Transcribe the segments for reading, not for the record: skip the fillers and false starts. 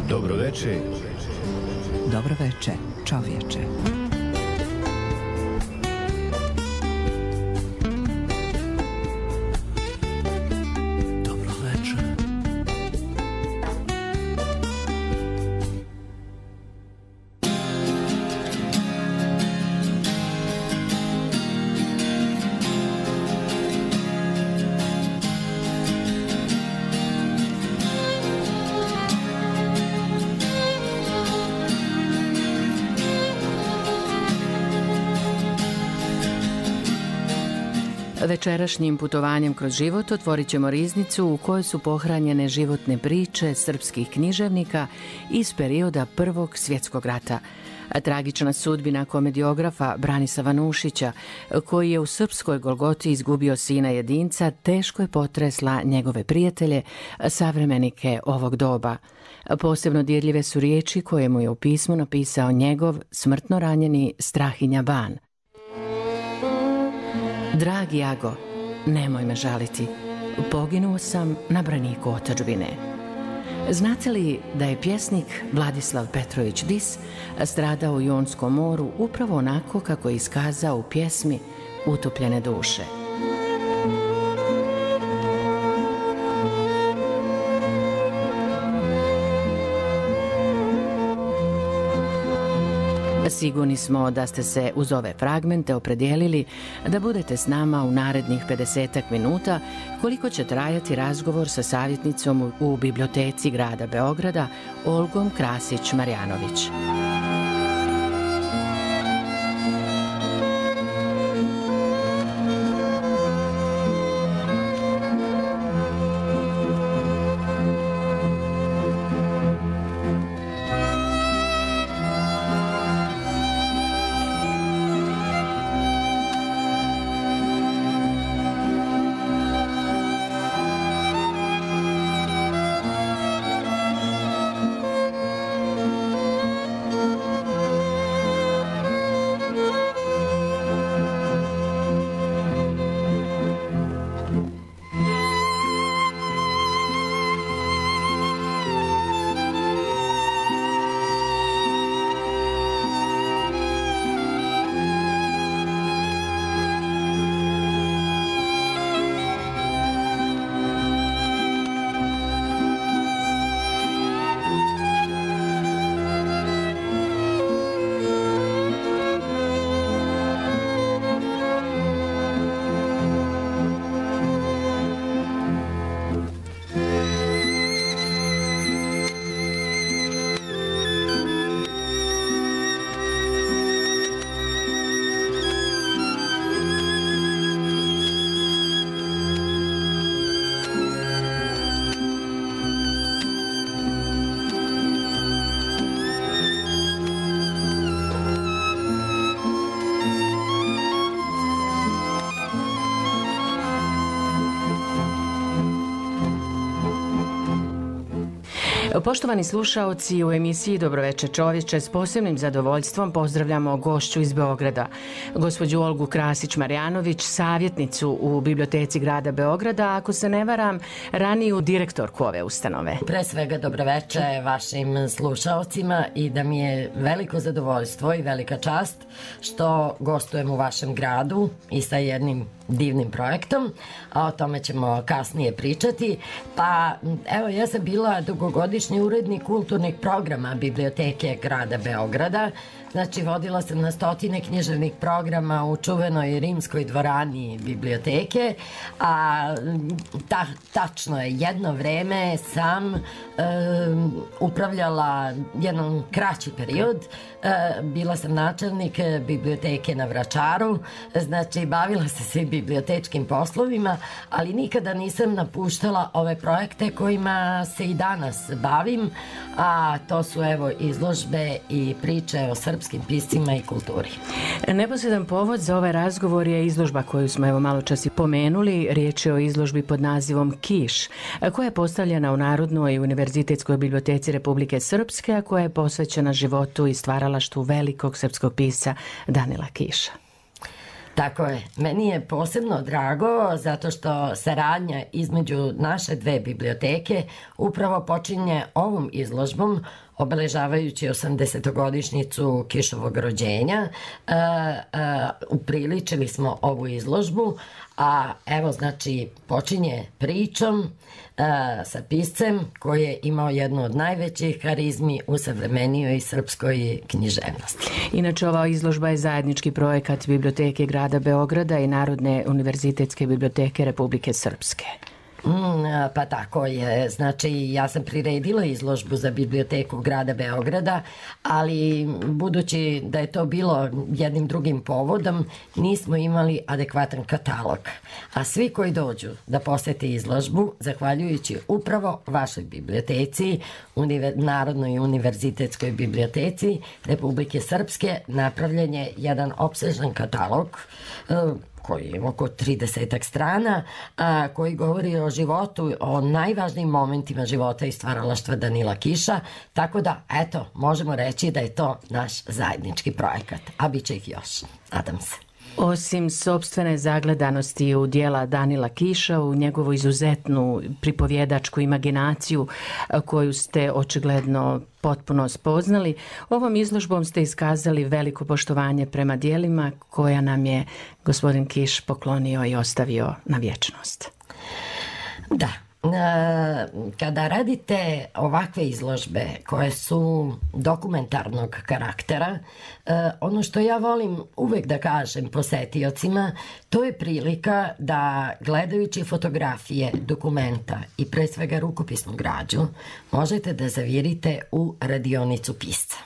Dobro veče. Dobro veče, čovječe. Večerašnjim putovanjem kroz život otvorit ćemo riznicu u kojoj su pohranjene životne priče srpskih književnika iz perioda Prvog svjetskog rata. Tragična sudbina komediografa Branislava Nušića, koji je u srpskoj Golgoti izgubio sina jedinca, teško je potresla njegove prijatelje, savremenike ovog doba. Posebno dirljive su riječi koje mu je u pismu napisao njegov smrtno ranjeni Strahinja Ban. Dragi Jago, nemoj me žaliti, poginuo sam na braniku otadžbine. Znate li da je pjesnik Vladislav Petrović Dis stradao u Jonskom moru upravo onako kako je iskazao u pjesmi Utopljene duše? Sigurni smo da ste se uz ove fragmente opredijelili da budete s nama u narednih 50 minuta, koliko će trajati razgovor sa savjetnicom u Biblioteci grada Beograda, Olgom Krasić-Marjanović. Poštovani slušaoci, u emisiji Dobroveče čovječe s posebnim zadovoljstvom pozdravljamo gošću iz Beograda, gospođu Olgu Krasić-Marjanović, savjetnicu u Biblioteci grada Beograda, ako se ne varam, raniju direktorku ove ustanove. Pre svega dobroveče vašim slušaocima i da mi je veliko zadovoljstvo i velika čast što gostujem u vašem gradu i sa jednim divnim projektom, a o tome ćemo kasnije pričati. Pa evo, ja sam bila dugogodišnji urednik kulturnih programa Biblioteke grada Beograda. Znači, vodila sam na stotine književnih programa u čuvenoj rimskoj dvorani biblioteke, a tačno je, jedno vreme sam upravljala jedan kraći period. Bila sam načelnik biblioteke na Vračaru, znači bavila se svim bibliotečkim poslovima, ali nikada nisam napuštala ove projekte kojima se i danas bavim, a to su evo izložbe i priče o srpskim piscima i kulturi. Neposredan povod za ovaj razgovor je izložba koju smo evo malo čas i pomenuli. Riječ je o izložbi pod nazivom Kiš, koja je postavljena u Narodnoj univerzitetskoj biblioteci Republike Srpske, a koja je posvećena životu i stvaralaštvu velikog srpskog pisca Danila Kiša. Tako je. Meni je posebno drago zato što saradnja između naše dve biblioteke upravo počinje ovom izložbom obeležavajući 80-godišnjicu Kišovog rođenja. Upriličili smo ovu izložbu, a evo znači počinje pričom sa piscem koji je imao jednu od najvećih harizmi u savremenijoj srpskoj književnosti. Inače, ova izložba je zajednički projekat Biblioteke grada Beograda i Narodne univerzitetske biblioteke Republike Srpske. Pa tako je. Znači, ja sam priredila izložbu za biblioteku grada Beograda, ali budući da je to bilo jednim drugim povodom, nismo imali adekvatan katalog. A svi koji dođu da posete izložbu, zahvaljujući upravo vašoj biblioteci, Narodnoj univerzitetskoj biblioteci Republike Srpske, napravljen je jedan opsežan katalog koji je oko 30 strana, koji govori o životu, o najvažnijim momentima života i stvaralaštva Danila Kiša, tako da, eto, možemo reći da je to naš zajednički projekat, a bit će ih još, nadam se. Osim sopstvene zagledanosti u dijela Danila Kiša, u njegovu izuzetnu pripovjedačku imaginaciju koju ste očigledno potpuno spoznali, ovom izložbom ste iskazali veliko poštovanje prema dijelima koja nam je gospodin Kiš poklonio i ostavio na vječnost. Da. Kada radite ovakve izložbe koje su dokumentarnog karaktera, ono što ja volim uvek da kažem posetiocima, to je prilika da gledajući fotografije, dokumenta i pre svega rukopisnu građu možete da zavirite u radionicu pisca.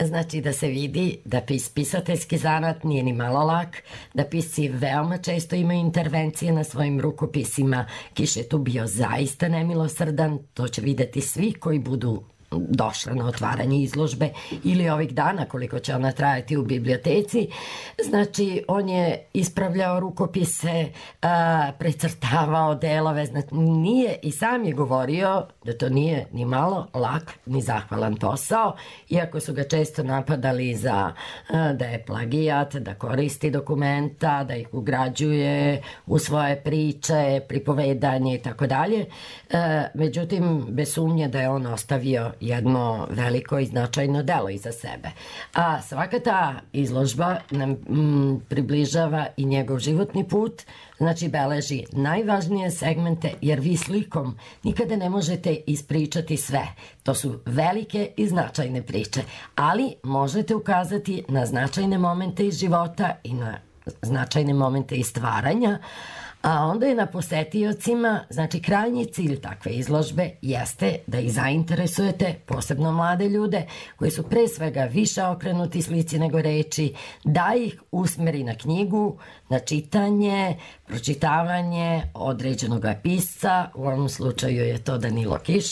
Znači da se vidi da pisateljski zanat nije ni malo lak, da pisci veoma često imaju intervencije na svojim rukopisima. Kiš je tu bio zaista nemilosrdan, to će videti svi koji budu došla na otvaranje izložbe ili ovih dana koliko će ona trajati u biblioteci. Znači, on je ispravljao rukopise, precrtavao delove, znači nije, i sam je govorio da to nije ni malo lak ni zahvalan posao, iako su ga često napadali za da je plagijat, da koristi dokumenta, da ih ugrađuje u svoje priče, pripovedanje i tako dalje. Međutim, bez sumnje da je on ostavio jedno veliko i značajno delo iza sebe. A svaka ta izložba nam približava i njegov životni put, znači beleži najvažnije segmente, jer vi slikom nikada ne možete ispričati sve. To su velike i značajne priče, ali možete ukazati na značajne momente iz života i na značajne momente iz stvaranja, a onda je na posetiocima, znači krajnji cilj takve izložbe jeste da ih zainteresujete, posebno mlade ljude koji su pre svega više okrenuti slici nego reči, da ih usmeri na knjigu, na čitanje, pročitavanje određenog pisca, u ovom slučaju je to Danilo Kiš,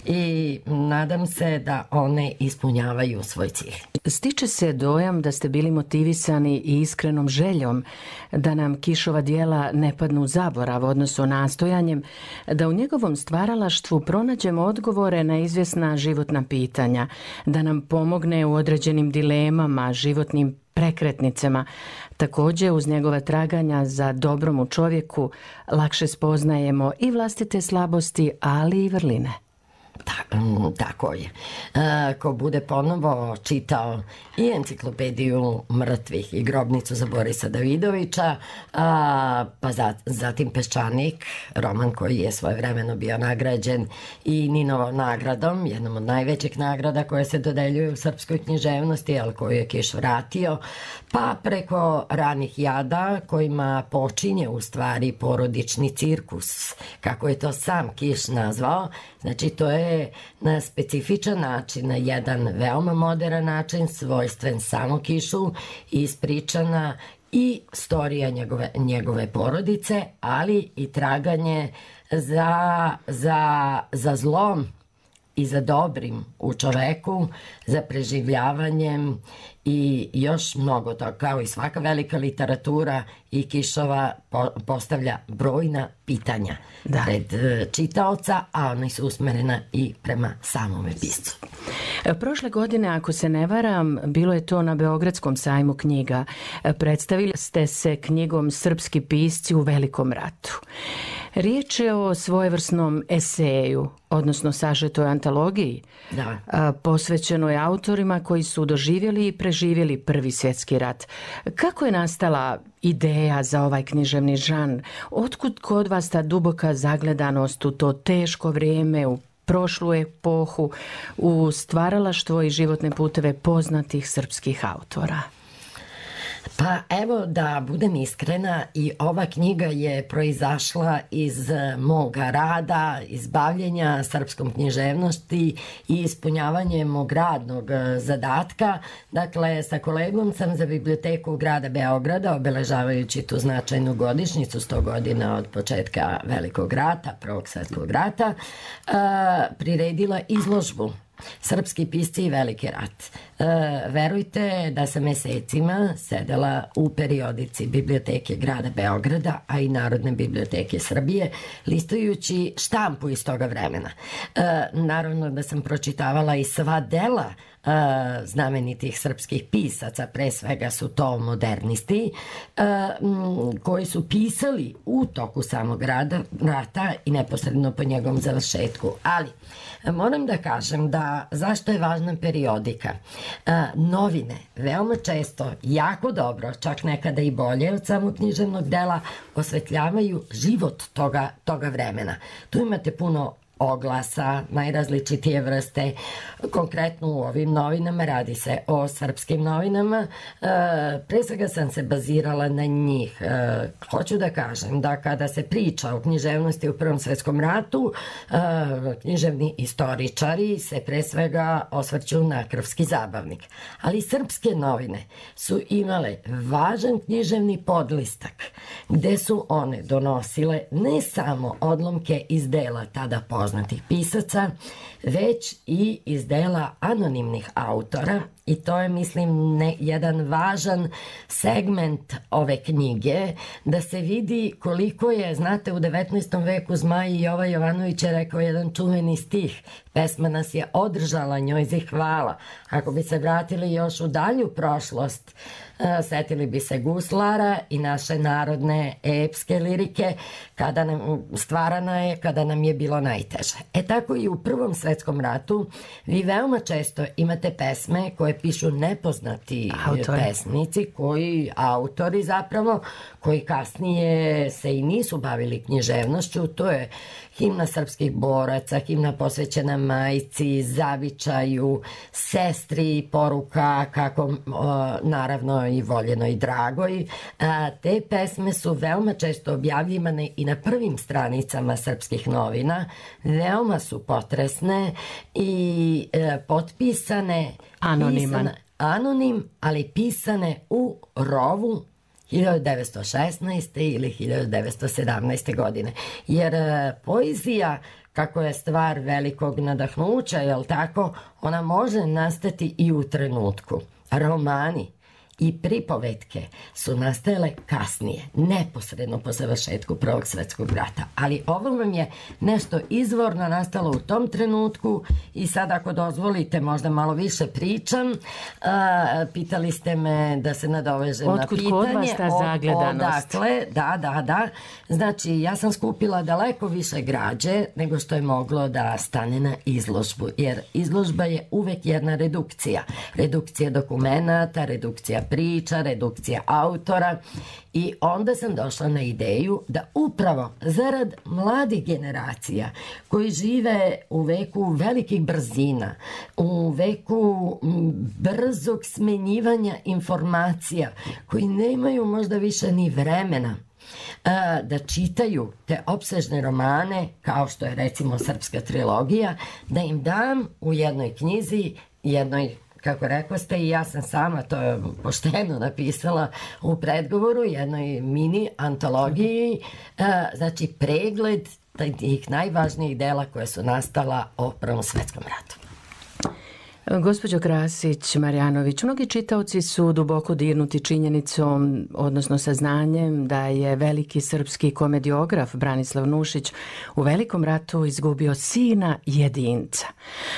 i nadam se da one ispunjavaju svoj cilj. Stiče se dojam da ste bili motivisani i iskrenom željom da nam Kišova dijela ne padnu u zaborav, odnosno nastojanjem da u njegovom stvaralaštvu pronađemo odgovore na izvjesna životna pitanja, da nam pomogne u određenim dilemama, životnim prekretnicama. Također, uz njegova traganja za dobrom u čovjeku lakše spoznajemo i vlastite slabosti, ali i vrline. Tako je. Ko bude ponovo čitao i enciklopediju mrtvih i grobnicu za Borisa Davidovića, pa zatim Peščanik, roman koji je svojevremeno bio nagrađen i Ninovom nagradom, jednom od najvećih nagrada koje se dodeljuje u srpskoj književnosti, ali koju je Kiš vratio, pa preko Ranih jada kojima počinje u stvari porodični cirkus, kako je to sam Kiš nazvao. Znači, to je na specifičan način, na jedan veoma modern način, svojstven samo Kišu, ispričana i storija njegove porodice, ali i traganje za zlom i za dobrim u čoveku, za preživljavanjem i još mnogo toga, kao i svaka velika literatura i Kišova postavlja brojna pitanja pred čitaoca, a oni su usmerena i prema samome piscu. Prošle godine, ako se ne varam, bilo je to na Beogradskom sajmu knjiga. Predstavili ste se knjigom Srpski pisci u Velikom ratu. Riječ je o svojevrsnom eseju, odnosno sažetoj antologiji, posvećenoj autorima koji su doživjeli i preživjeli Prvi svjetski rat. Kako je nastala ideja za ovaj književni žanr? Otkud kod vas ta duboka zagledanost u to teško vrijeme, u prošlu epohu, u stvaralaštvo i životne puteve poznatih srpskih autora? Pa evo, da budem iskrena, i ova knjiga je proizašla iz moga rada, iz bavljenja srpskom književnosti i ispunjavanje mog radnog zadatka. Dakle, sa kolegom sam za biblioteku grada Beograda, obeležavajući tu značajnu godišnjicu, 100 godina od početka Velikog rata, Prvog svjetskog rata, priredila izložbu Srpski pisci i Veliki rat. Verujte da sam mesecima sedela u periodici biblioteke grada Beograda, a i Narodne biblioteke Srbije, listujući štampu iz toga vremena. Naravno da sam pročitavala i sva dela znamenitih srpskih pisaca, pre svega su to modernisti, koji su pisali u toku samog rata i neposredno po njegovom završetku. Ali moram da kažem da zašto je važna periodika. Novine veoma često, jako dobro, čak nekada i bolje od samog književnog dela, osvetljavaju život toga vremena. Tu imate puno oglasa, najrazličitije vrste. Konkretno u ovim novinama radi se o srpskim novinama. Pre svega sam se bazirala na njih. Hoću da kažem da kada se priča o književnosti u Prvom svjetskom ratu, književni istoričari se pre svega osvrću na Krvski zabavnik. Ali srpske novine su imale važan književni podlistak gde su one donosile ne samo odlomke iz dela tada poznatih pisaca, već i iz dela anonimnih autora, i to je, mislim, jedan važan segment ove knjige, da se vidi koliko je, znate, u 19. veku Zmaj Jova Jovanović je rekao jedan čuveni stih: pesma nas je održala, njoj zahvala. Ako bi se vratili još u dalju prošlost, setili bi se guslara i naše narodne epske lirike, stvarana je kada nam je bilo najteže. Tako i u Prvom svjetskom ratu vi veoma često imate pesme koje pišu nepoznati pesnici, autori zapravo, koji kasnije se i nisu bavili književnošću. To je himna srpskih boraca, himna posvećena majci, zavičaju, sestri, poruka kako naravno i voljenoj i dragoj. Te pesme su veoma često objavljivane i na prvim stranicama srpskih novina. Veoma su potresne i potpisane anonim, ali pisane u rovu 1916. ili 1917. godine. Jer poezija, kako je stvar velikog nadahnuća, jel tako, ona može nastati i u trenutku. Romani i pripovetke su nastajale kasnije, neposredno po završetku Prvog svjetskog rata. Ali ovo vam je nešto izvorno nastalo u tom trenutku i sad, ako dozvolite, možda malo više pričam. Pitali ste me da se nadovežem na pitanje. Otkud kod vas ta zagledanost? Odakle, da. Znači, ja sam skupila daleko više građe nego što je moglo da stane na izložbu, jer izložba je uvek jedna redukcija. Redukcija dokumenata, redukcija priča, redukcija autora, i onda sam došla na ideju da upravo zarad mladih generacija koji žive u veku velikih brzina, u veku brzog smenjivanja informacija, koji nemaju možda više ni vremena da čitaju te opsežne romane, kao što je recimo Srpska trilogija, da im dam u jednoj knjizi, jednoj, kako rekao ste, i ja sam sama to pošteno napisala u predgovoru, jednoj mini antologiji, znači pregled tih najvažnijih dela koje su nastala o Prvom svetskom ratu. Gospođo Krasić-Marjanović, mnogi čitaoci su duboko dirnuti činjenicom, odnosno saznanjem da je veliki srpski komediograf Branislav Nušić u Velikom ratu izgubio sina jedinca.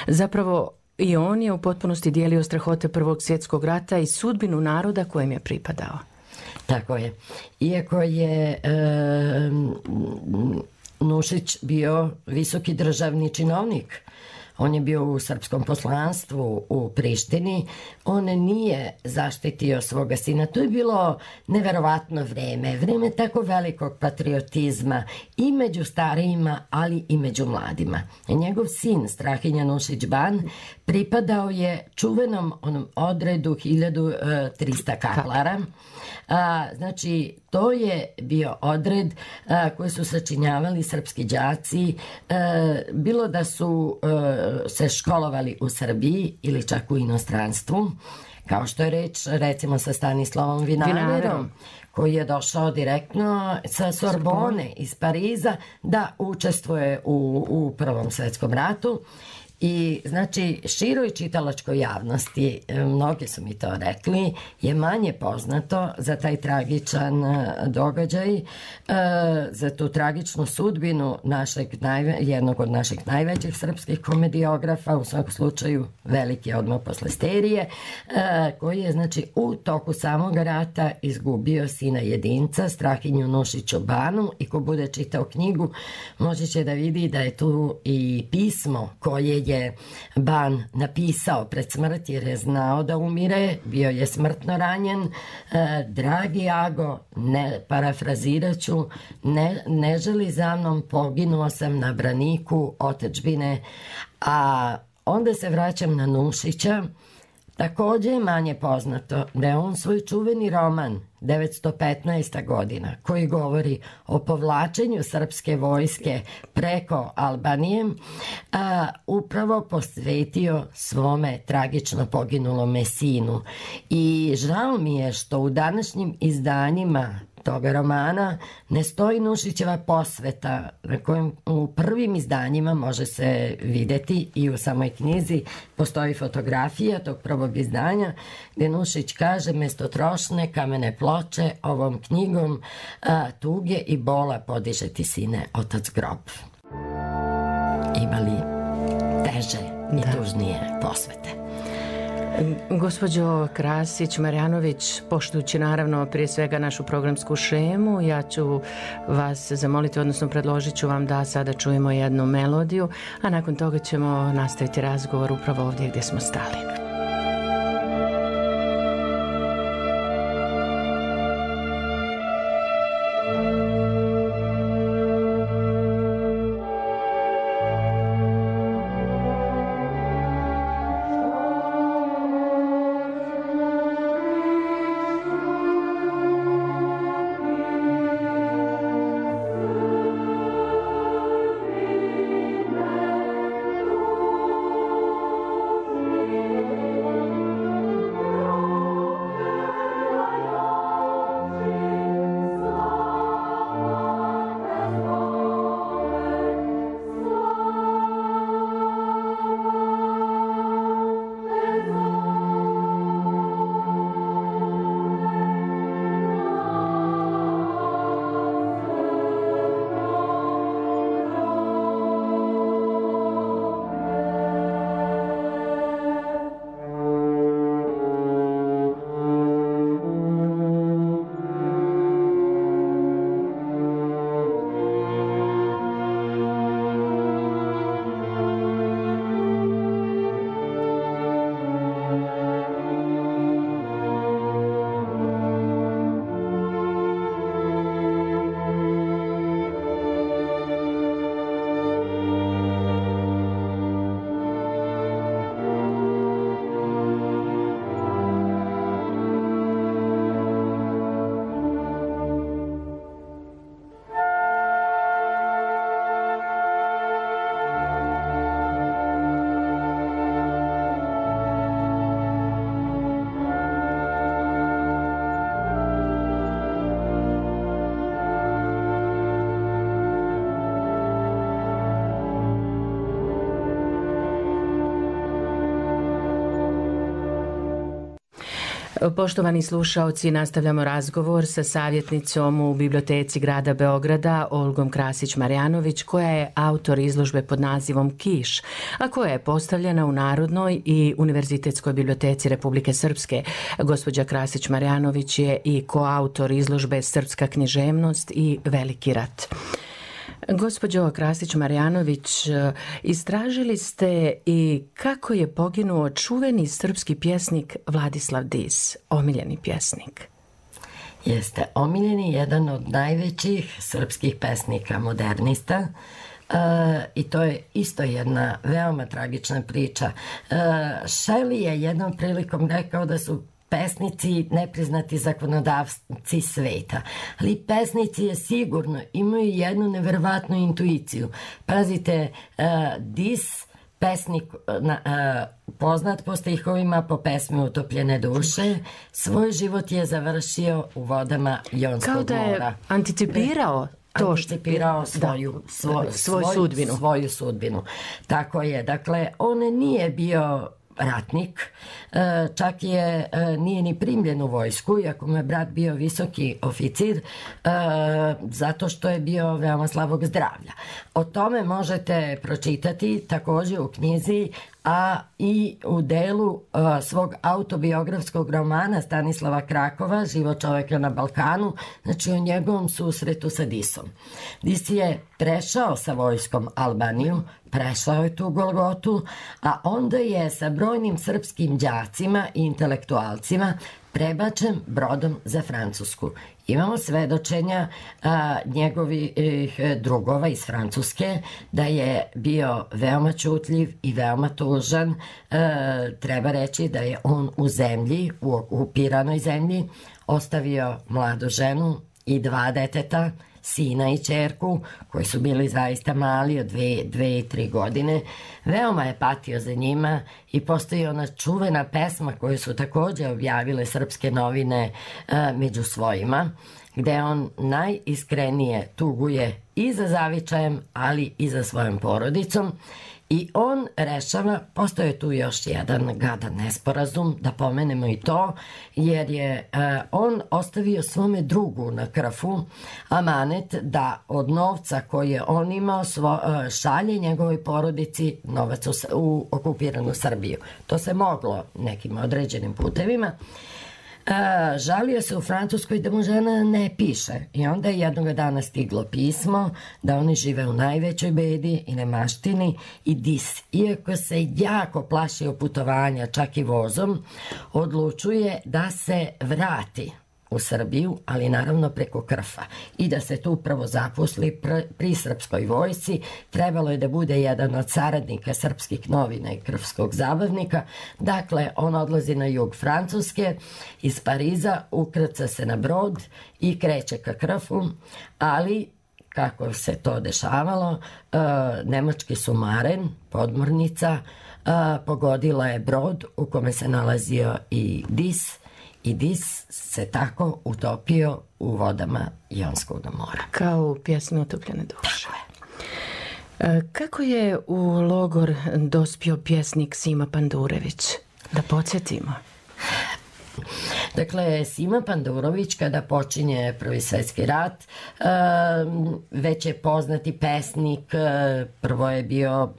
Zapravo, i on je u potpunosti dijelio strahote Prvog svjetskog rata i sudbinu naroda kojem je pripadao. Tako je. Iako je Nušić bio visoki državni činovnik, on je bio u srpskom poslanstvu u Prištini, on nije zaštitio svoga sina. To je bilo neverovatno vreme tako velikog patriotizma i među starijima, ali i među mladima. Njegov sin, Strahinja Nušić-Ban, pripadao je čuvenom onom odredu 1300 kaplara. Znači, to je bio odred koji su sačinjavali srpski đaci, bilo da su se školovali u Srbiji ili čak u inostranstvu, kao što je reč recimo sa Stanislavom Vinaverom, koji je došao direktno sa Sorbone iz Pariza da učestvuje u Prvom svetskom ratu. I znači široj čitalačkoj javnosti, mnogi su mi to rekli, je manje poznato za taj tragičan događaj, za tu tragičnu sudbinu jednog od naših najvećih srpskih komediografa, u svakom slučaju veliki odmah posle Sterije, koji je znači u toku samog rata izgubio sina jedinca, Strahinju Nušiću-Banu, i ko bude čitao knjigu moći će da vidi da je tu i pismo koje je Ban napisao pred smrt, jer je znao da umire, bio je smrtno ranjen. Dragi Ago, parafrazirat ću, ne želi za mnom, poginuo sam na braniku otadžbine. A onda se vraćam na Nušića. Takođe je manje poznato da je on svoj čuveni roman 915. godina, koji govori o povlačenju srpske vojske preko Albanije, upravo posvetio svome tragično poginulome sinu. I žao mi je što u današnjim izdanjima toga romana ne stoji Nušićeva posveta, na kojem u prvim izdanjima može se videti, i u samoj knjizi postoji fotografija tog prvog izdanja, gde Nušić kaže: mesto trošne kamene ploče ovom knjigom tuge i bola podiže ti, sine, otac grob. Ima li teže i tužnije posvete? Gospođo Krasić-Marjanović, poštujući naravno prije svega našu programsku šemu, ja ću vas zamoliti, odnosno predložit ću vam da sada čujemo jednu melodiju, a nakon toga ćemo nastaviti razgovor upravo ovdje gdje smo stali. Poštovani slušaoci, nastavljamo razgovor sa savjetnicom u Biblioteci grada Beograda, Olgom Krasić-Marjanović, koja je autor izložbe pod nazivom Kiš, a koja je postavljena u Narodnoj i Univerzitetskoj biblioteci Republike Srpske. Gospođa Krasić-Marjanović je i koautor izložbe Srpska književnost i Veliki rat. Gospođo Krasić-Marjanović, istražili ste i kako je poginuo čuveni srpski pjesnik Vladislav Dis, omiljeni pjesnik. Jeste omiljeni, jedan od najvećih srpskih pesnika modernista. I to je isto jedna veoma tragična priča. Shelley je jednom prilikom rekao da su pesnici nepriznati zakonodavci sveta, ali pesnici je sigurno imaju jednu neverovatnu intuiciju. Pazite, Dis, pesnik poznat po stihovima, po pesmi Utopljene duše, svoj život je završio u vodama Jonskog mora. Kao da je anticipirao svoju sudbinu. Tako je, dakle, on nije bio ratnik, čak nije ni primljen u vojsku, iako mu je brat bio visoki oficir, zato što je bio veoma slabog zdravlja. O tome možete pročitati također u knjizi, a i u delu svog autobiografskog romana Stanislava Krakova, Život čoveka na Balkanu, znači o njegovom susretu sa Disom. Dis je prešao sa vojskom Albaniju, prešao je tu Golgotu, a onda je sa brojnim srpskim đacima i intelektualcima prebačen brodom za Francusku. Imamo svedočenja njegovih drugova iz Francuske da je bio veoma ćutljiv i veoma tužan. Treba reći da je on u zemlji, u okupiranoj zemlji, ostavio mladu ženu i 2 deteta, sina i ćerku, koji su bili zaista mali, od 2 i 3 godine. Veoma je patio za njima i postoji ona čuvena pesma koju su također objavile srpske novine među svojima, gde on najiskrenije tuguje i za zavičajem, ali i za svojom porodicom. I on rešava, postoje tu još jedan gadan nesporazum, da pomenemo i to, jer je on ostavio svome drugu na Krfu amanet da od novca koji je on imao šalje njegovoj porodici novac u okupiranu Srbiju. To se moglo nekim određenim putevima. Žalio se u Francuskoj da mu žena ne piše i onda je jednog dana stiglo pismo da oni žive u najvećoj bedi i nemaštini i Dis, iako se jako plašio putovanja čak i vozom, odlučuje da se vrati u Srbiju, ali naravno preko Krfa, i da se tu upravo zaposli pri srpskoj vojsci. Trebalo je da bude jedan od saradnika srpskih novina i krfskog zabavnika. Dakle, on odlazi na jug Francuske, iz Pariza ukrca se na brod i kreće ka Krfu, ali kako se to dešavalo, nemački sumaren, podmornica, pogodila je brod u kome se nalazio i Dis, i Dis se tako utopio u vodama Jonskog mora. Kao u pjesmi Utopljene duše. Kako je u logor dospio pjesnik Sima Pandurević? Da podsjetimo. Dakle, Sima Pandurović kada počinje Prvi svjetski rat, već je poznati pesnik, prvo je bio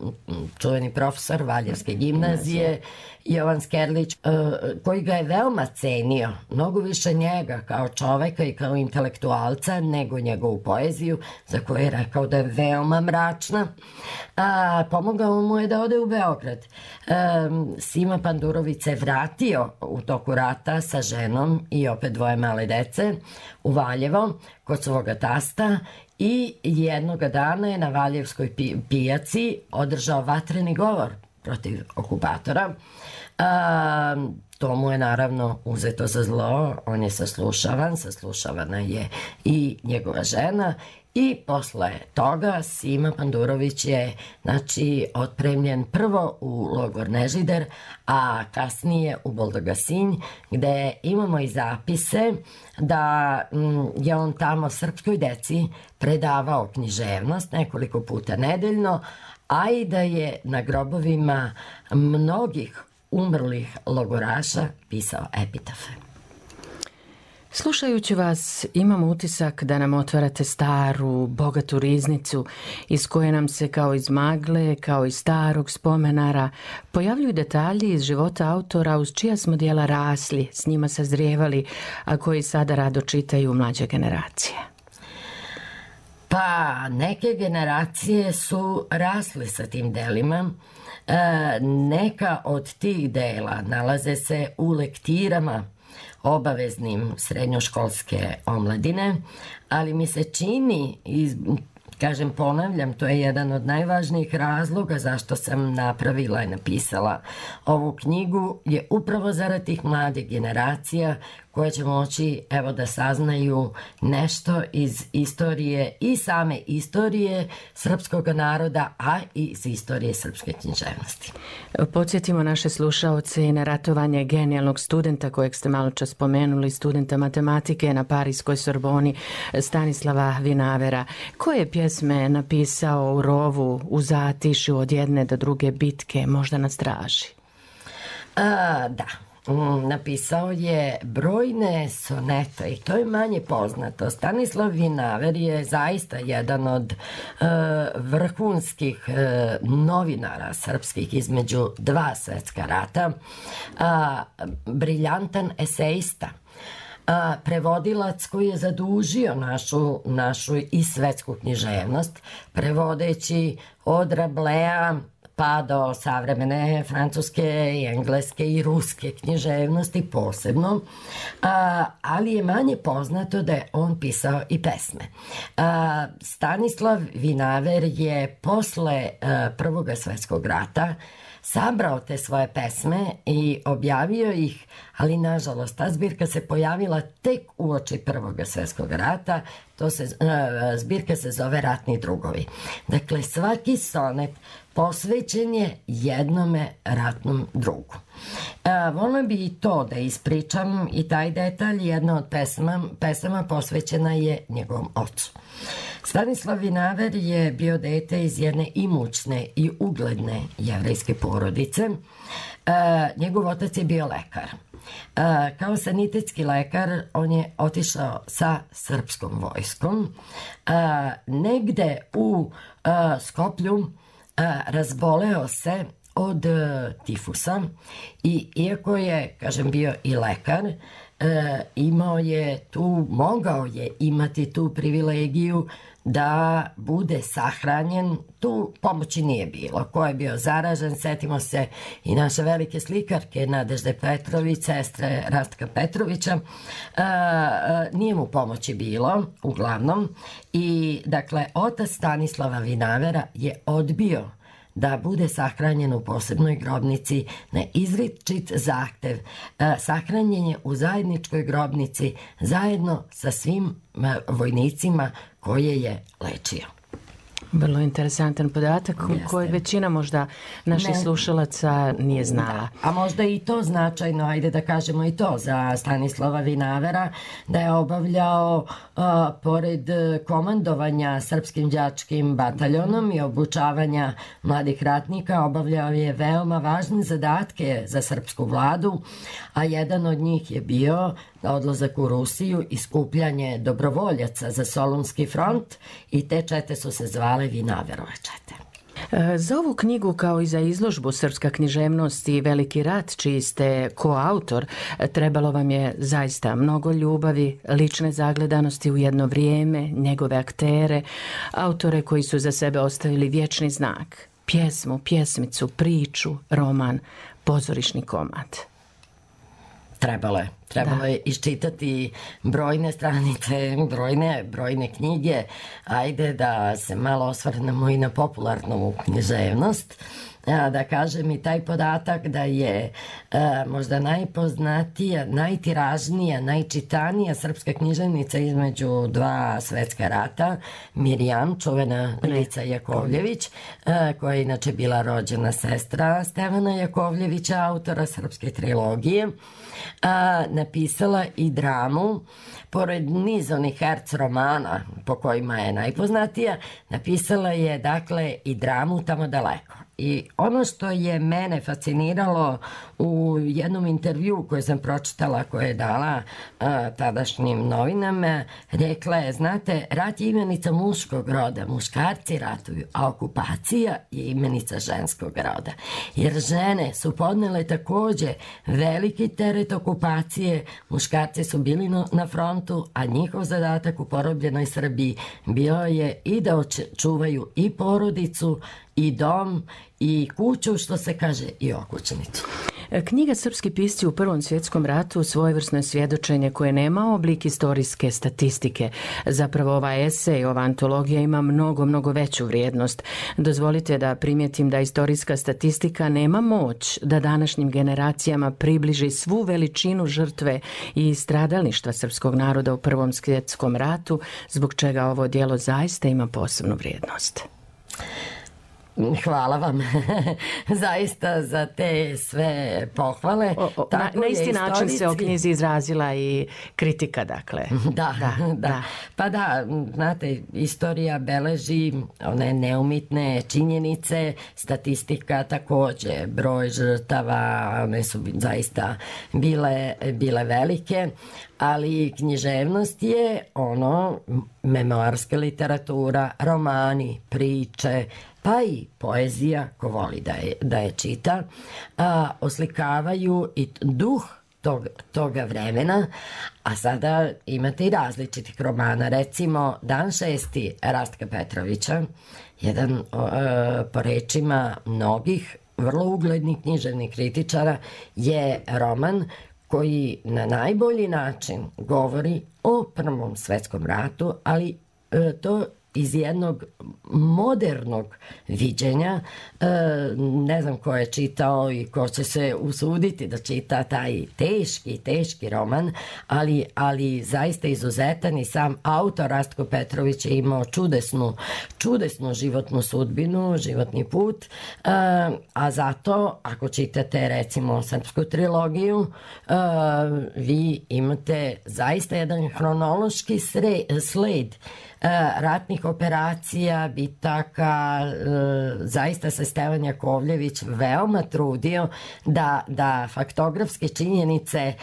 čuveni profesor Valjevske gimnazije, Jovan Skerlić, koji ga je veoma cenio, mnogo više njega kao čoveka i kao intelektualca nego njegovu poeziju, za koju je rekao da je veoma mračna. Pomogao mu je da ode u Beograd. Sima Pandurović se vratio u toku rata sa ženom i opet 2 male dece u Valjevo kod svoga tasta i jednoga dana je na Valjevskoj pijaci održao vatreni govor protiv okupatora. To mu je naravno uzeto za zlo, on je saslušavana je i njegova žena i posle toga Sima Pandurović je otpremljen prvo u logor Nežider, a kasnije u Boldogasinj, gde imamo i zapise da je on tamo srpskoj deci predavao književnost nekoliko puta nedeljno, a i da je na grobovima mnogih umrlih logoraša pisao epitafe. Slušajući vas, imam utisak da nam otvarate staru, bogatu riznicu iz koje nam se kao iz magle, kao iz starog spomenara, pojavljuju detalji iz života autora uz čija smo dijela rasli, s njima sazrijevali, a koji sada rado čitaju mlađe generacije. Pa, neke generacije su rasle sa tim delima. Neka od tih dela nalaze se u lektirama obaveznim srednjoškolske omladine, ali mi se čini, kažem, ponavljam, to je jedan od najvažnijih razloga zašto sam napravila i napisala ovu knjigu, je upravo zarad tih mladih generacija koje će moći, evo, da saznaju nešto iz istorije i same istorije srpskog naroda, a i iz istorije srpske književnosti. Podsjetimo naše slušaoce i na ratovanje genijalnog studenta kojeg ste malo čas spomenuli, studenta matematike na Parijskoj Sorboni, Stanislava Vinavera. Koje pjesme napisao u rovu, u zatišju od jedne do druge bitke, možda na straži? Da. Napisao je brojne sonete i to je manje poznato. Stanislav Vinaver je zaista jedan od vrhunskih novinara srpskih između dva svetska rata, briljantan esejista, prevodilac koji je zadužio našu i svetsku književnost, prevodeći od Rablea pa do savremene francuske i engleske i ruske književnosti posebno, ali je manje poznato da je on pisao i pesme. Stanislav Vinaver je posle Prvog svetskog rata sabrao te svoje pesme i objavio ih, ali nažalost ta zbirka se pojavila tek uoči Prvog svjetskog rata. Zbirka se zove Ratni drugovi. Dakle, svaki sonet posvećen je jednome ratnom drugu. Volim bi i to da ispričam i taj detalj. Jedna od pesama posvećena je njegovom ocu. Stanislav Vinaver je bio dete iz jedne imućne i ugledne jevrejske porodice. Njegov otac je bio lekar. Kao sanitetski lekar on je otišao sa srpskom vojskom. Negde u Skoplju razboleo se od tifusa i iako je, kažem, bio i lekar, mogao je imati tu privilegiju da bude sahranjen. Tu pomoći nije bilo. Ko je bio zaražen, setimo se i naše velike slikarke Nadežde Petrović, sestre Rastka Petrovića, nije mu pomoći bilo, uglavnom. I, dakle, otac Stanislava Vinavera je odbio da bude sahranjen u posebnoj grobnici na izričit zahtev. Sahranjen je u zajedničkoj grobnici zajedno sa svim vojnicima koje je lečio. Vrlo interesantan podatak koji većina možda naših slušalaca nije znala. A možda i to značajno, ajde da kažemo i to za Stanislava Vinavera, da je obavljao pored komandovanja srpskim đačkim bataljonom i obučavanja mladih ratnika, obavljao je veoma važne zadatke za srpsku vladu, a jedan od njih je bio odlazak u Rusiju i skupljanje dobrovoljaca za Solunski front i te čete su se zvale Vinaverove čete. Za ovu knjigu, kao i za izložbu Srpska književnost i Veliki rat, čiji ste koautor, trebalo vam je zaista mnogo ljubavi, lične zagledanosti u jedno vrijeme, njegove aktere, autore koji su za sebe ostavili vječni znak, pjesmu, pjesmicu, priču, roman, pozorišni komad. Trebalo je iščitati brojne stranice, brojne knjige. Ajde da se malo osvrnemo i na popularnu književnost. Da kažem i taj podatak da je možda najpoznatija, najtiražnija, najčitanija srpska književnica između dva svetska rata, Mirjam, čuvena Milica Jakovljević, koja je inače bila rođena sestra Stevana Jakovljevića, autora srpske trilogije, napisala i dramu. Pored niz onih herc romana po kojima je najpoznatija, napisala je, dakle, i dramu Tamo daleko. I ono što je mene fasciniralo u jednom intervju koji sam pročitala, koje je dala tadašnjim novinama, rekla je, znate, rat je imenica muškog roda, muškarci ratuju, a okupacija je imenica ženskog roda. Jer žene su podnele takođe veliki teret okupacije, muškarci su bili na frontu, a njihov zadatak u porobljenoj Srbiji bio je i da čuvaju i porodicu, i dom, i kuću, što se kaže, i okućnicu. Knjiga Srpski pisci u Prvom svjetskom ratu svojevrsno je svjedočenje koje nema oblik istorijske statistike. Zapravo ova esej, ova antologija ima mnogo veću vrijednost. Dozvolite da primijetim da istorijska statistika nema moć da današnjim generacijama približi svu veličinu žrtve i stradalništva srpskog naroda u Prvom svjetskom ratu, zbog čega ovo djelo zaista ima posebnu vrijednost. Hvala vam zaista za te sve pohvale. Na isti način se o knjizi izrazila i kritika, dakle. Da. Pa da, znate, istorija beleži one neumitne činjenice, statistika takođe, broj žrtava, one su zaista bile velike, ali književnost je ono, memoarska literatura, romani, priče, pa i poezija, ko voli da je čita, oslikavaju i duh toga vremena, a sada imate i različitih romana. Recimo, Dan 6. Rastka Petrovića, jedan po rečima mnogih vrlo uglednih književnih kritičara, je roman koji na najbolji način govori o Prvom svjetskom ratu, ali to iz jednog modernog viđenja. Ne znam ko je čitao i ko će se usuditi da čita taj teški roman, ali zaista izuzetan, i sam autor Rastko Petrović je imao čudesnu životnu sudbinu, životni put, a zato ako čitate recimo srpsku trilogiju, vi imate zaista jedan hronološki sled ratnih operacija, bitaka. Zaista se Stevan Jakovljević veoma trudio da faktografske činjenice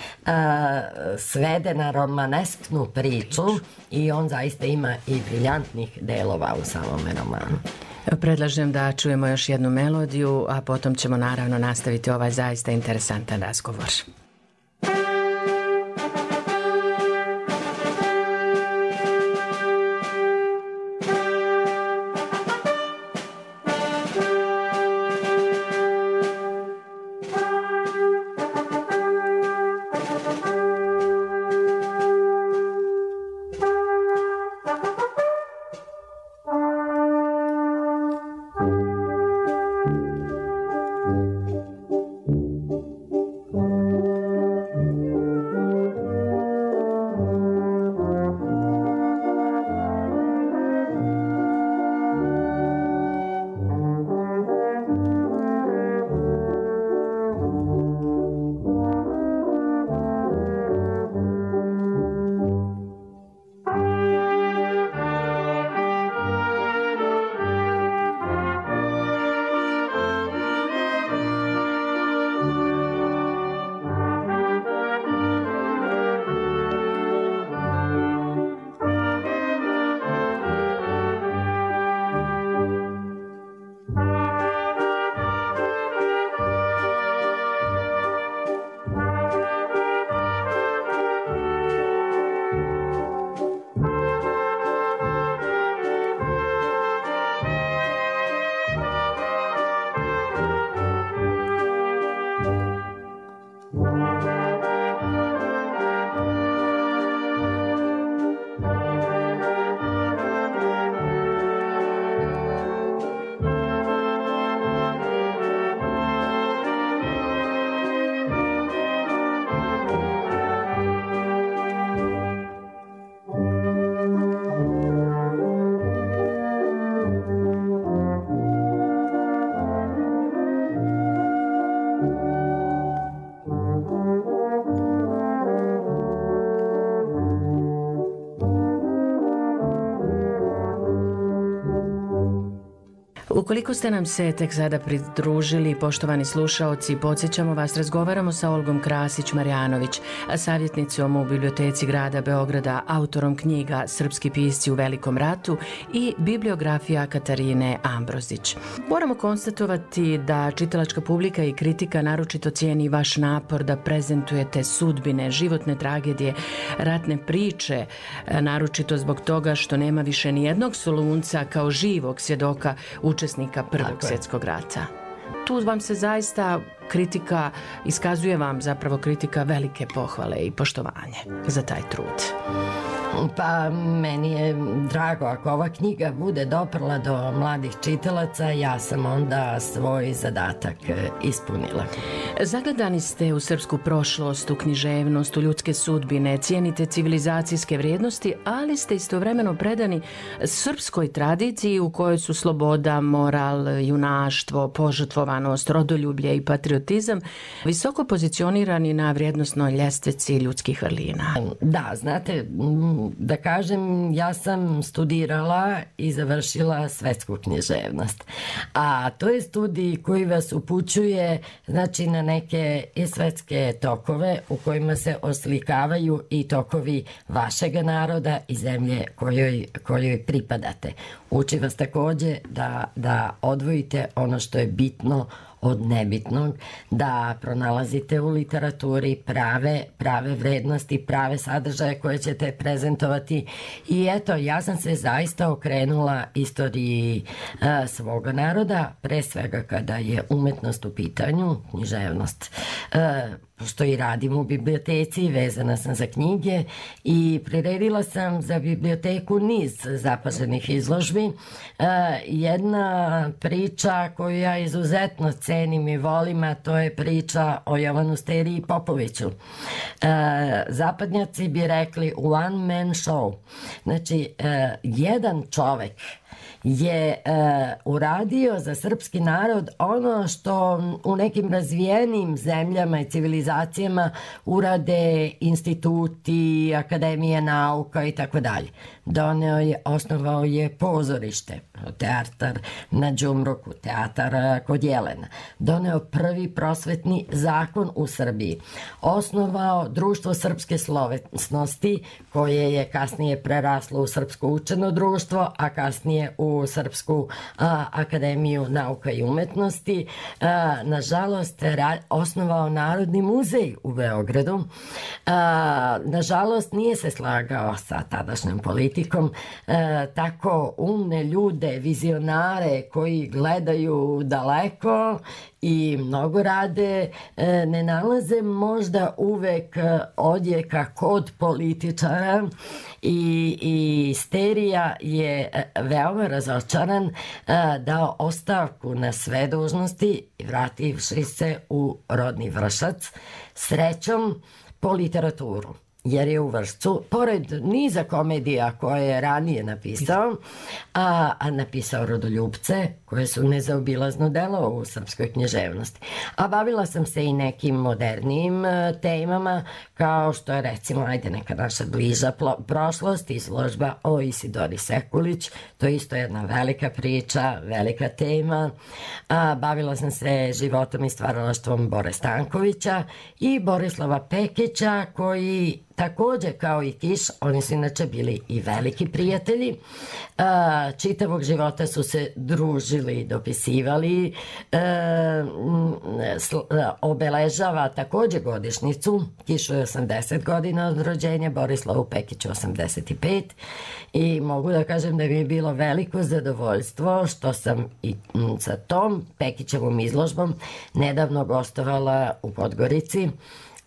svede na romanesknu priču, i on zaista ima i briljantnih delova u samome romanu. Predlažem da čujemo još jednu melodiju, a potom ćemo naravno nastaviti ovaj zaista interesantan razgovor. Ukoliko ste nam se tek sada pridružili, poštovani slušaoci, podsjećamo vas, razgovaramo sa Olgom Krasić-Marjanović, savjetnicom u Biblioteci grada Beograda, autorom knjiga Srpski pisci u Velikom ratu i bibliografija Katarine Ambrozić. Moramo konstatovati da čitalačka publika i kritika naročito cijeni vaš napor da prezentujete sudbine, životne tragedije, ratne priče, naročito zbog toga što nema više ni jednog Solunca kao živog svjedoka učesnika Prvog svjetskog rata. Tu vam se zaista kritika, iskazuje vam zapravo kritika velike pohvale i poštovanje za taj trud. Pa meni je drago ako ova knjiga bude doprla do mladih čitalaca, ja sam onda svoj zadatak ispunila. Zagledani ste u srpsku prošlost, u književnost, u ljudske sudbine, cijenite civilizacijske vrijednosti, ali ste istovremeno predani srpskoj tradiciji u kojoj su sloboda, moral, junaštvo, požrtvovanost, rodoljublje i patriotizam visoko pozicionirani na vrijednosnoj ljestvici ljudskih vrlina. Da, znate, da kažem, ja sam studirala i završila svetsku književnost. A to je studij koji vas upućuje, znači, na neke i svetske tokove u kojima se oslikavaju i tokovi vašega naroda i zemlje kojoj pripadate. Uči vas takođe da odvojite ono što je bitno od nebitnog, da pronalazite u literaturi prave vrednosti, prave sadržaje koje ćete prezentovati. I eto, ja sam se zaista okrenula istoriji svoga naroda, pre svega kada je umetnost u pitanju, književnost. Pošto i radim u biblioteci, vezana sam za knjige i priredila sam za biblioteku niz zapaženih izložbi. Jedna priča koju ja izuzetno cenim i volim, a to je priča o Jovanu Steriji Popoviću. Zapadnjaci bi rekli one man show. Znači, jedan čovek je uradio za srpski narod ono što u nekim razvijenim zemljama i civilizacijama urade instituti, akademije nauka i tako dalje. Osnovao je pozorište, teatar na Đumruku, teatar kod Jelena. Doneo prvi prosvetni zakon u Srbiji. Osnovao društvo srpske slovesnosti, koje je kasnije preraslo u Srpsko učeno društvo, a kasnije u Srpsku akademiju nauka i umetnosti. Nažalost, osnovao Narodni muzej u Beogradu. Nažalost, nije se slagao sa tadašnjom politikom. Tako umne ljude, vizionare koji gledaju daleko i mnogo rade, ne nalaze možda uvek odjeka kod političara i Sterija je veoma razočaran, dao ostavku na sve dužnosti i vrativši se u rodni Vršac, srećom po literaturu. Jer je u Vršcu, pored niza komedija koje je ranije napisao, a napisao Rodoljupce, koje su nezaobilazno delo u srpskoj književnosti. A bavila sam se i nekim modernijim temama, kao što je, recimo, neka naša bliža prošlost, izložba o Isidori Sekulić, to je isto jedna velika priča, velika tema. Bavila sam se životom i stvaralaštvom Bore Stankovića i Borislava Pekića, koji takođe kao i Kiš, oni su inače bili i veliki prijatelji. Čitavog života su se družili, dopisivali. Obeležava takođe godišnjicu. Kišu je 80 godina od rođenja, Borislavu Pekiću 85. I mogu da kažem da mi je bilo veliko zadovoljstvo što sam i sa tom Pekićevom izložbom nedavno gostovala u Podgorici.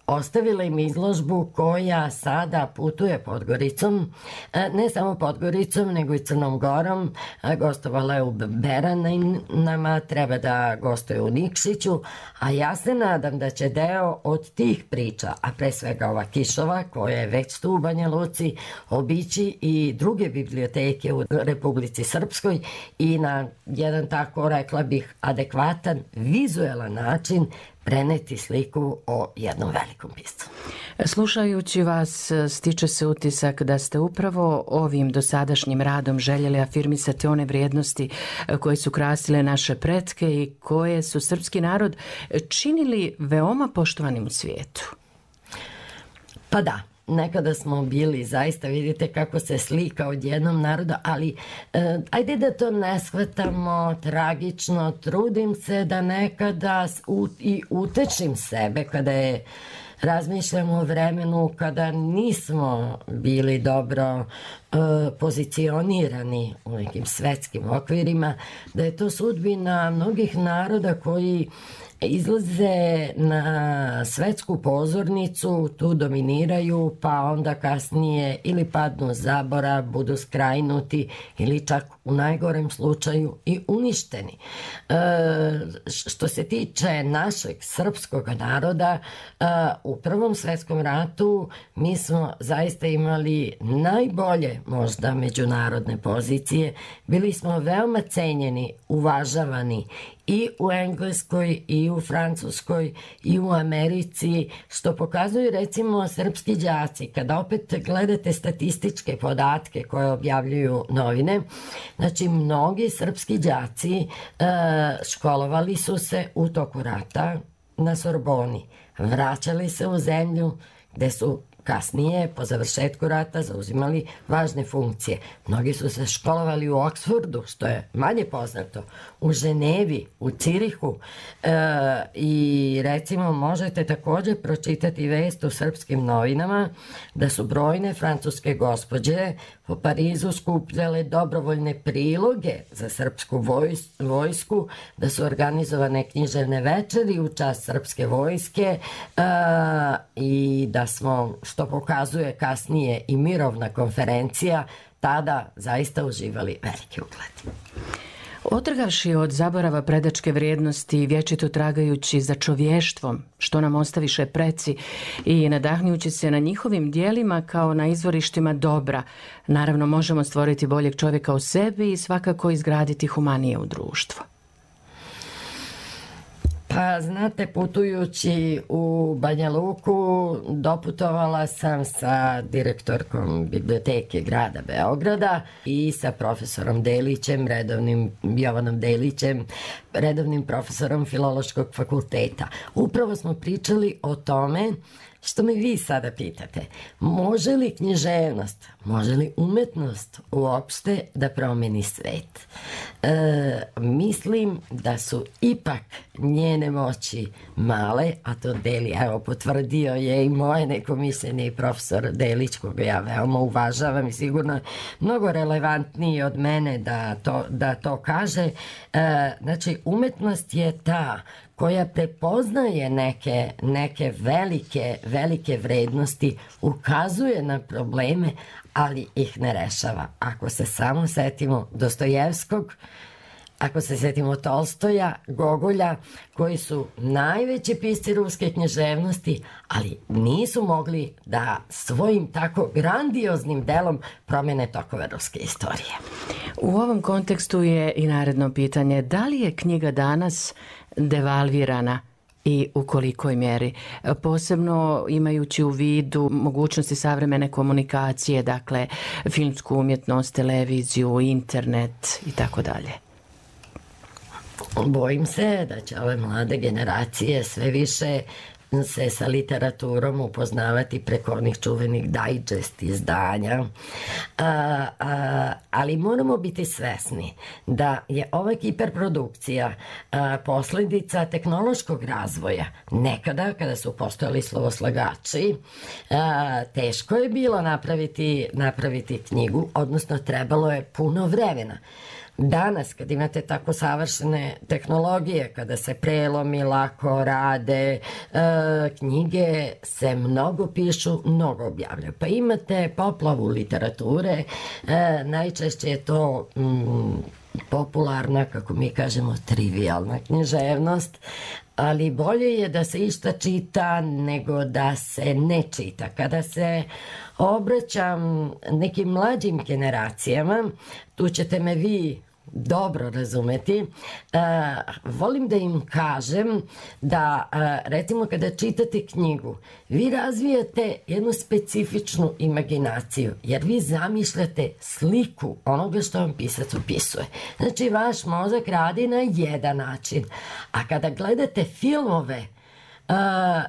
Ostavila im izložbu koja sada putuje Podgoricom, ne samo Podgoricom, nego i Crnom Gorom. Gostovala je u Beranama, treba da gostuje u Nikšiću, a ja se nadam da će deo od tih priča, a pre svega ova Kišova, koja je već tu u Banja Luci, obići i druge biblioteke u Republici Srpskoj i na jedan, tako rekla bih, adekvatan, vizuelan način preneti sliku o jednom velikom piscu. Slušajući vas, stiče se utisak da ste upravo ovim dosadašnjim radom željeli afirmisati one vrijednosti koje su krasile naše pretke i koje su srpski narod činili veoma poštovanim u svijetu. Pa da, nekada smo bili, zaista vidite kako se slika od jednom naroda, ali ajde da to ne shvatamo tragično, trudim se da nekada i utečim sebe kada je razmišljam o vremenu kada nismo bili dobro pozicionirani u nekim svetskim okvirima, da je to sudbina mnogih naroda koji izlaze na svetsku pozornicu, tu dominiraju, pa onda kasnije ili padnu zabora, budu skrajnuti ili čak u najgorem slučaju i uništeni. Što se tiče našeg srpskog naroda, u Prvom svetskom ratu mi smo zaista imali najbolje možda međunarodne pozicije. Bili smo veoma cenjeni, uvažavani i u Engleskoj, i u Francuskoj, i u Americi, što pokazuju recimo srpski đaci. Kada opet gledate statističke podatke koje objavljuju novine, znači mnogi srpski đaci školovali su se u toku rata na Sorboni, vraćali se u zemlju gde su kasnije, po završetku rata, zauzimali važne funkcije. Mnogi su se školovali u Oksfordu, što je manje poznato, u Ženevi, u Cirihu i recimo možete također pročitati vest u srpskim novinama da su brojne francuske gospođe po Parizu skupljale dobrovoljne priloge za srpsku vojsku, da su organizovane književne večeri u čast srpske vojske i da smo, što pokazuje kasnije i mirovna konferencija, tada zaista uživali veliki ugled. Otrgavši od zaborava predačke vrijednosti i vječito tragajući za čovještvom, što nam ostaviše preci, i nadahnjući se na njihovim dijelima kao na izvorištima dobra, naravno možemo stvoriti boljeg čovjeka u sebi i svakako izgraditi humanije u društvo. Pa znate, putujući u Banja Luku doputovala sam sa direktorkom biblioteke grada Beograda i sa profesorom Delićem, Jovanom Delićem, redovnim profesorom Filološkog fakulteta. Upravo smo pričali o tome što me vi sada pitate. Može li književnost, može li umetnost uopšte da promeni svet? Mislim da su ipak njene moći male, a to Deli, evo, potvrdio je i moje neko mišljenje i profesor Delić, koga ja veoma uvažavam i sigurno mnogo relevantniji od mene da to kaže. Znači, umetnost je ta koja prepoznaje neke velike vrednosti, ukazuje na probleme, ali ih ne rešava. Ako se samo setimo Dostojevskog, ako se setimo Tolstoja, Gogolja, koji su najveći pisci ruske književnosti, ali nisu mogli da svojim tako grandioznim delom promene tokove ruske istorije. U ovom kontekstu je i naredno pitanje: da li je knjiga danas devalvirana i u kolikoj mjeri, posebno imajući u vidu mogućnosti savremene komunikacije, dakle filmsku umjetnost, televiziju, internet i tako dalje? Bojim se da će ove mlade generacije sve više se sa literaturom upoznavati preko onih čuvenih digest izdanja, ali moramo biti svesni da je ova hiperprodukcija posljedica tehnološkog razvoja. Nekada, kada su postojali slovoslagači, teško je bilo napraviti knjigu, odnosno trebalo je puno vremena. Danas, kad imate tako savršene tehnologije, kada se prelomi lako rade, knjige se mnogo pišu, mnogo objavljaju. Pa imate poplavu literature, najčešće je to popularna, kako mi kažemo, trivialna književnost, ali bolje je da se išta čita nego da se ne čita. Kada se obraćam nekim mlađim generacijama, tu ćete me vi dobro razumeti, volim da im kažem da, recimo, kada čitate knjigu, vi razvijate jednu specifičnu imaginaciju, jer vi zamišljate sliku onoga što vam pisac opisuje. Znači, vaš mozak radi na jedan način, a kada gledate filmove,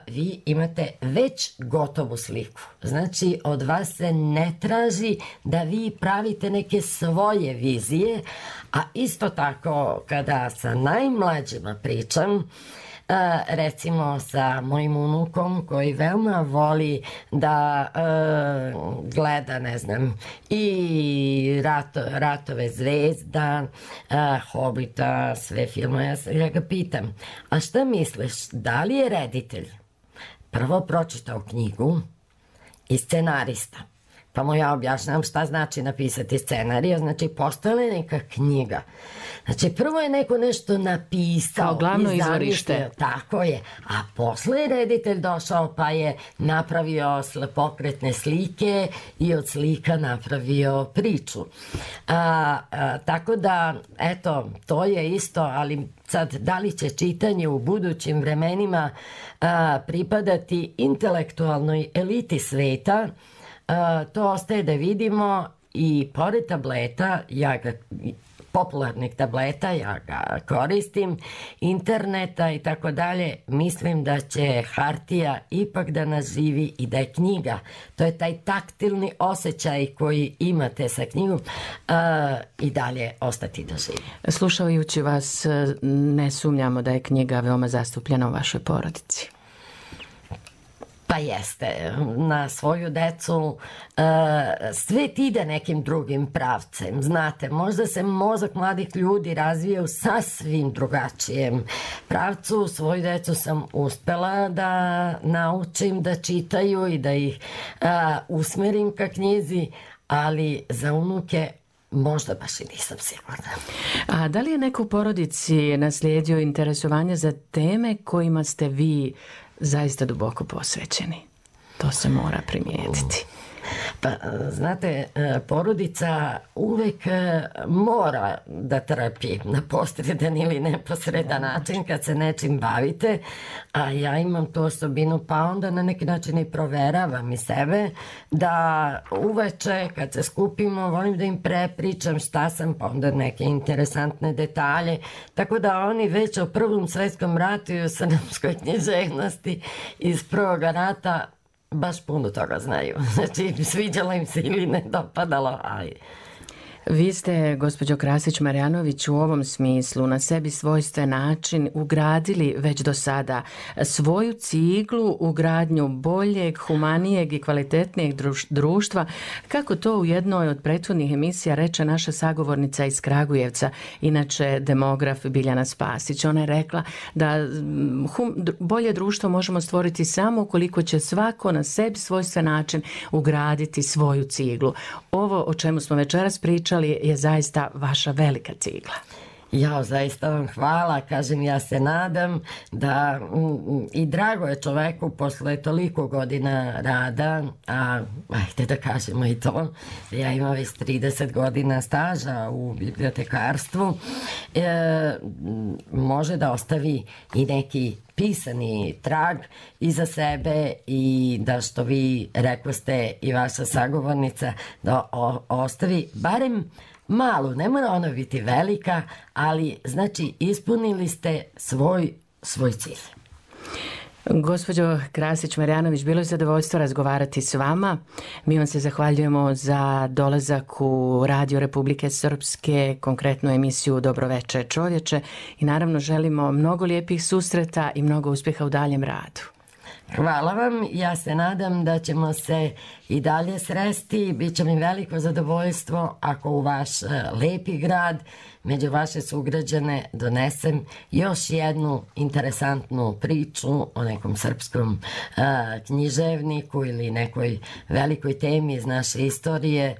vi imate već gotovu sliku. Znači, od vas se ne traži da vi pravite neke svoje vizije, a isto tako kada sa najmlađima pričam, recimo sa mojim unukom koji veoma voli da gleda, ne znam, i Ratove zvezda, Hobita, sve filmove, ja ga pitam, a šta misliš, da li je reditelj prvo pročitao knjigu i scenarista? Pa mu ja objašnjam šta znači napisati scenarij, znači postojala je neka knjiga. Znači, prvo je neko nešto napisao. Kao glavno izvorište. Tako je. A posle je reditelj došao pa je napravio pokretne slike i od slika napravio priču. Tako da, eto, to je isto, ali sad, da li će čitanje u budućim vremenima pripadati intelektualnoj eliti sveta, to ostaje da vidimo. I pored tableta, popularnih tableta, ja ga koristim, interneta i tako dalje, mislim da će hartija ipak da nas živi i da je knjiga. To je taj taktilni osjećaj koji imate sa knjigom i dalje ostati da živi. Slušajući vas, ne sumnjamo da je knjiga veoma zastupljena u vašoj porodici. Pa jeste, na svoju decu svet ide nekim drugim pravcem. Znate, možda se mozak mladih ljudi razvija u sasvim drugačijem pravcu. Svoju decu sam uspela da naučim da čitaju i da ih usmerim ka knjizi, ali za unuke možda baš i nisam sigurna. A da li je neko u porodici naslijedio interesovanje za teme kojima ste vi zaista duboko posvećeni? To se mora primijetiti. Pa, znate, porodica uvek mora da trpi na posredan ili neposredan način kad se nečim bavite, a ja imam tu osobinu, pa onda na neki način i proveravam i sebe, da uveče kad se skupimo volim da im prepričam šta sam, pa onda neke interesantne detalje, tako da oni već o Prvom svetskom ratu i o srpskoj književnosti iz Prvog rata baš puno toga znaju. Znači, sviđalo im se ili ne dopadalo, ali... Vi ste, gospođo Krasić-Marjanović, u ovom smislu na sebi svojstven način ugradili već do sada svoju ciglu u gradnju boljeg, humanijeg i kvalitetnijeg društva, kako to u jednoj od prethodnih emisija reče naša sagovornica iz Kragujevca, inače demograf Biljana Spasić. Ona je rekla da bolje društvo možemo stvoriti samo ukoliko će svako na sebi svojstven način ugraditi svoju ciglu. Ovo o čemu smo večeras pričali je zaista vaša velika cigla. Ja, zaista vam hvala, kažem, ja se nadam da i drago je čoveku posle toliko godina rada, a ajde da kažemo i to, ja imam već 30 godina staža u bibliotekarstvu, može da ostavi i neki pisani trag iza sebe i da, što vi rekoste i vaša sagovornica, da ostavi barem malu, ne mora ona biti velika, ali znači ispunili ste svoj cilj. Gospođo Krasić-Marjanović, bilo je zadovoljstvo razgovarati s vama. Mi vam se zahvaljujemo za dolazak u Radio Republike Srpske, konkretnu emisiju Dobroveče čovječe, i naravno želimo mnogo lijepih susreta i mnogo uspjeha u daljem radu. Hvala vam, ja se nadam da ćemo se i dalje sresti. Biće mi veliko zadovoljstvo ako u vaš lepi grad među vaše sugrađane donesem još jednu interesantnu priču o nekom srpskom književniku ili nekoj velikoj temi iz naše istorije.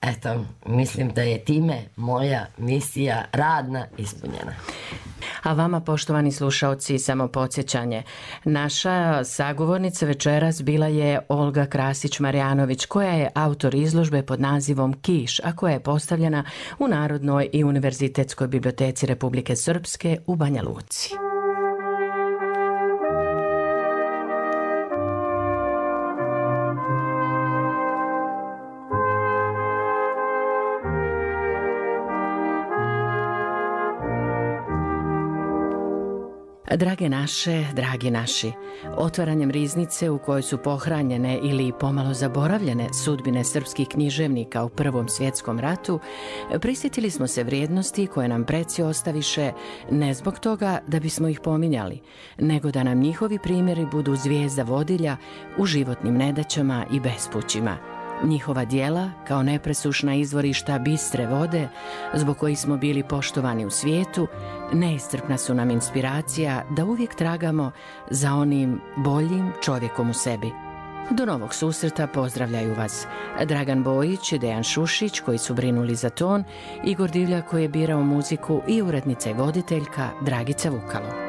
Eto, mislim da je time moja misija radna ispunjena. A vama, poštovani slušaoci, samo podsjećanje. Naša sagovornica večeras bila je Olga Krasić-Marjanović, koja je autor izložbe pod nazivom Kiš, a koja je postavljena u Narodnoj i Univerzitetskoj biblioteci Republike Srpske u Banja Luci. Drage naše, dragi naši, otvaranjem riznice u kojoj su pohranjene ili pomalo zaboravljene sudbine srpskih književnika u Prvom svjetskom ratu, prisjetili smo se vrijednosti koje nam preci ostaviše ne zbog toga da bismo ih pominjali, nego da nam njihovi primjeri budu zvijezda vodilja u životnim nedaćama i bespućima. Njihova djela, kao nepresušna izvorišta bistre vode, zbog kojih smo bili poštovani u svijetu, neiscrpna su nam inspiracija da uvijek tragamo za onim boljim čovjekom u sebi. Do novog susreta pozdravljaju vas Dragan Bojić i Dejan Šušić, koji su brinuli za ton, Igor Divlja, koji je birao muziku, i urednica i voditeljka Dragica Vukalo.